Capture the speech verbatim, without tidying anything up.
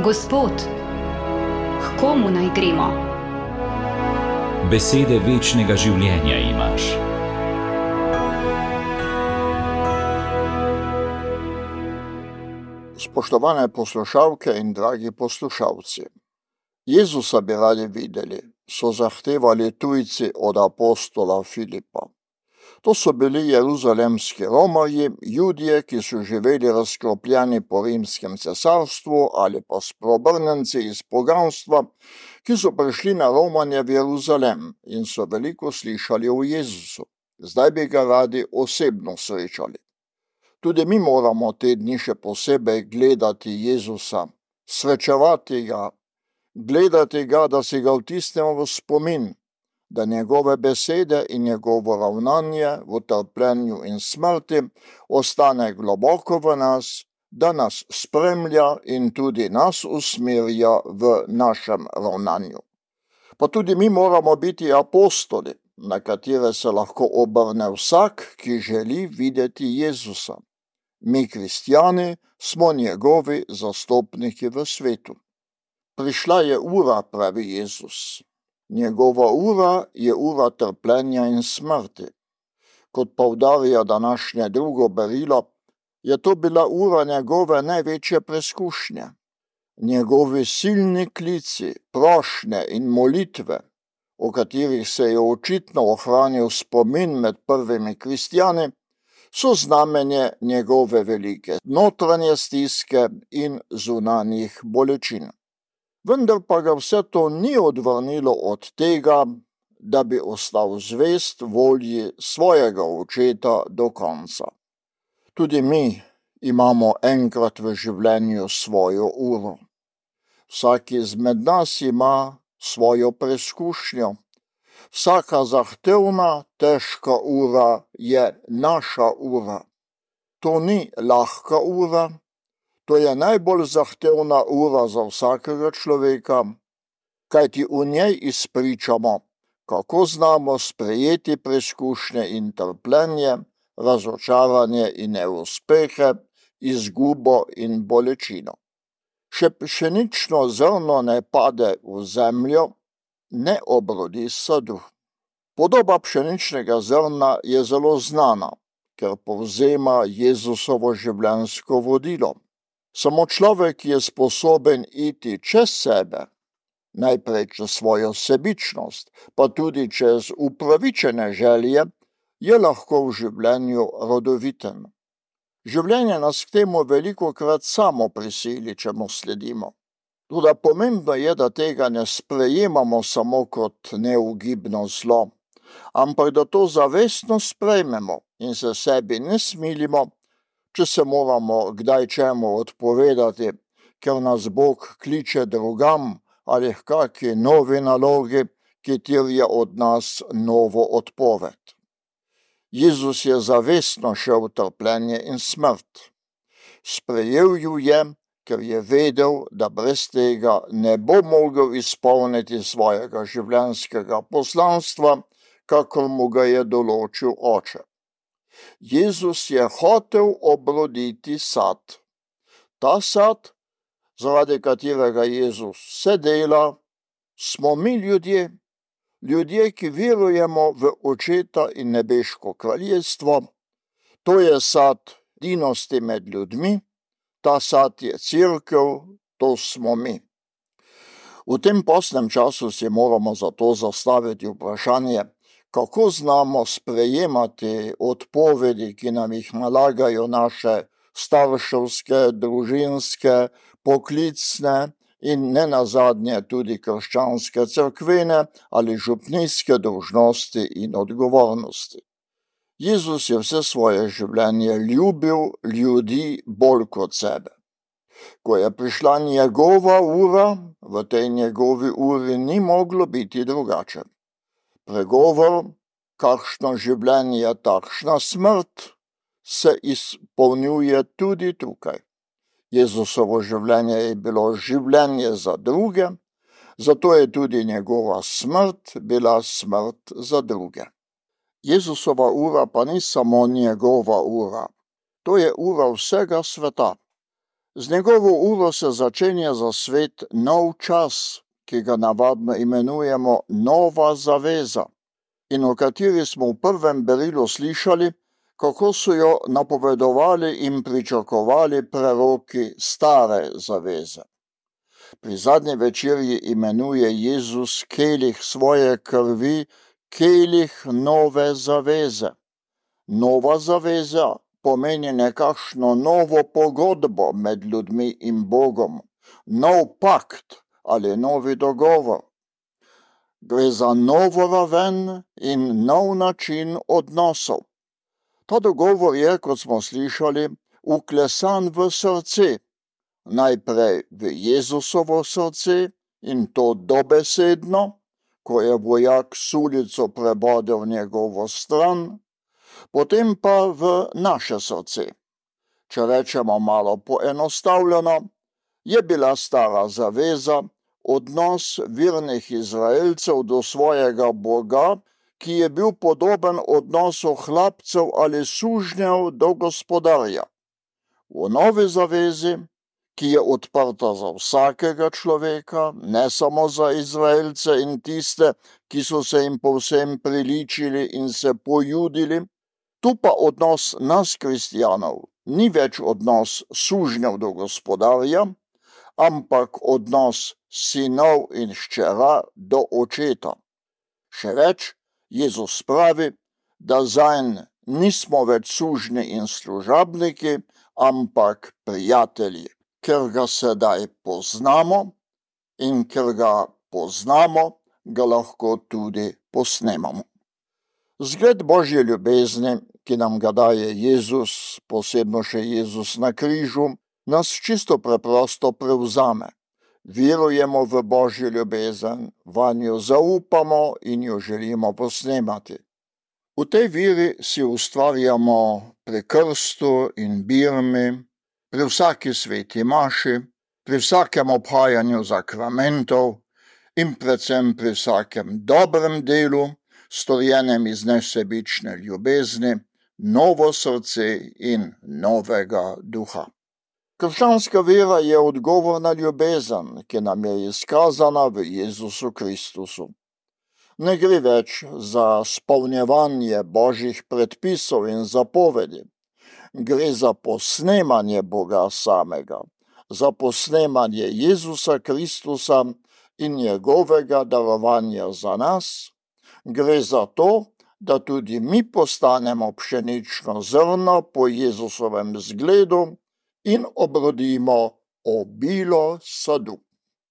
Gospod, k komu naj gremo? Besede večnega življenja imaš. Spoštovane poslušalke in dragi poslušalci, Jezusa bi radi videli, so zahtevali tujci od apostola Filipa. To so bili jeruzalemski Romarji, Judje, ki so živeli razklopljeni po rimskem cesarstvu ali pa spreobrnjenci iz poganstva, ki so prišli na romanje v Jeruzalem in so veliko slišali o Jezusu. Zdaj bi ga radi osebno srečali. Tudi mi moramo te dni še posebej gledati Jezusa, srečevati ga, gledati ga, da si ga vtisnemo v spomin, da njegove besede in njegovo ravnanje v trpljenju in smrti ostane globoko v nas, da nas spremlja in tudi nas usmerja v našem ravnanju. Pa tudi mi moramo biti apostoli, na katere se lahko obrne vsak, ki želi videti Jezusa. Mi, kristjani, smo njegovi zastopniki v svetu. Prišla je ura, pravi Jezus. Njegova ura je ura trpljenja in smrti. Kot poudarja današnje drugo berilo, je to bila ura njegove največje preskušnje. Njegovi silni klici, prošnje in molitve, o katerih se je očitno ohranil spomin med prvimi kristjani, so znamenje njegove velike notranje stiske in zunanjih bolečin. Vendar pa ga vse to ni odvrnilo od tega, da bi ostal zvest volji svojega očeta do konca. Tudi mi imamo enkrat v življenju svojo uro. Vsak izmed nas ima svojo preskušnjo. Vsaka zahtevna, težka ura je naša ura. To ni lahka ura, to je najbolj zahtevna ura za vsakega človeka, kajti v njej izpričamo, kako znamo sprejeti preskušnje in trpljenje, razočaranje in neuspehe, izgubo in bolečino. Še pšenično zrno ne pade v zemljo, ne obrodi sadu. Podoba pšeničnega zrna je zelo znana, ker povzema Jezusovo življenjsko vodilo. Samo človek je sposoben iti čez sebe, najprej čez svojo sebičnost, pa tudi čez upravičene želje, je lahko v življenju rodoviten. Življenje nas k temu velikokrat samo prisili, če mu sledimo. Toda pomembno je, da tega ne sprejemamo samo kot neugibno zlo, ampak da to zavestno sprejmemo in se sebi ne smilimo, če se moramo kdaj čemu odpovedati, ker nas Bog kliče drugam ali h kaki novi nalogi, ki terja od nas novo odpoved. Jezus je zavestno šel v trpljenje in smrt. Sprejel ju je, ker je vedel, da brez tega ne bo mogel izpolniti svojega življenjskega poslanstva, kakor mu ga je določil Oče. Jezus je hotel obroditi sad. Ta sad, zaradi katerega Jezus se dela, smo mi ljudje, ljudje, ki verujemo v Očeta in nebeško kraljestvo. To je sad edinosti med ljudmi, ta sad je cerkev, to smo mi. V tem postnem času si moramo zato zastaviti vprašanje, kako znamo sprejemati odpovedi, ki nam jih nalagajo naše starševske, družinske, poklicne in nenazadnje tudi krščanske cerkvene ali župnijske dolžnosti in odgovornosti. Jezus je vse svoje življenje ljubil ljudi bolj kot sebe. Ko je prišla njegova ura, v tej njegovi uri ni moglo biti drugače. Pregovor, kakšno življenje, takšna smrt, se izpolnjuje tudi tukaj. Jezusovo življenje je bilo življenje za druge, zato je tudi njegova smrt bila smrt za druge. Jezusova ura pa ni samo njegova ura, to je ura vsega sveta. Z njegovo uro se začenja za svet nov čas, ki ga navadno imenujemo Nova zaveza, in o kateri smo v prvem berilu slišali, kako so jo napovedovali in pričakovali preroki stare zaveze. Pri zadnji večerji imenuje Jezus kelih svoje krvi kelih nove zaveze. Nova zaveza pomeni nekakšno novo pogodbo med ljudmi in Bogom, nov pakt ali novi dogovor. Gre za novo raven in nov način odnosov. Ta dogovor je, kot smo slišali, vklesan v srce, najprej v Jezusovo srce in to dobesedno, ko je vojak sulico prebodel njegovo stran, potem pa v naše srce. Če rečemo malo poenostavljeno, je bila stara zaveza odnos vernih Izraelcev do svojega Boga, ki je bil podoben odnosu hlapcev ali sužnjev do gospodarja. V novi zavezi, ki je odprta za vsakega človeka, ne samo za Izraelce in tiste, ki so se jim povsem priličili in se pojudili, tu pa odnos nas kristjanov ni več odnos sužnjev do gospodarja, ampak odnos sinov in hčera do očeta. Še več, Jezus pravi, da zanj nismo več sužnji in služabniki, ampak prijatelji, ker ga sedaj poznamo in ker ga poznamo, ga lahko tudi posnemamo. Zgled Božje ljubezni, ki nam ga daje Jezus, posebno še Jezus na križu, nas čisto preprosto prevzame. Verujemo v Božjo ljubezen, vanjo zaupamo in jo želimo posnemati. V tej veri si ustvarjamo pri krstu in birmi, pri vsaki sveti maši, pri vsakem obhajanju zakramentov in predvsem pri vsakem dobrem delu, storjenem iz nesebične ljubezni, novo srce in novega duha. Krščanska vera je odgovor na ljubezen, ki nam je izkazana v Jezusu Kristusu. Ne gre več za spolnjevanje Božjih predpisov in zapovedi. Gre za posnemanje Boga samega, za posnemanje Jezusa Kristusa in njegovega darovanja za nas. Gre za to, da tudi mi postanemo pšenično zrno po Jezusovem zgledu in obrodimo obilo sadu.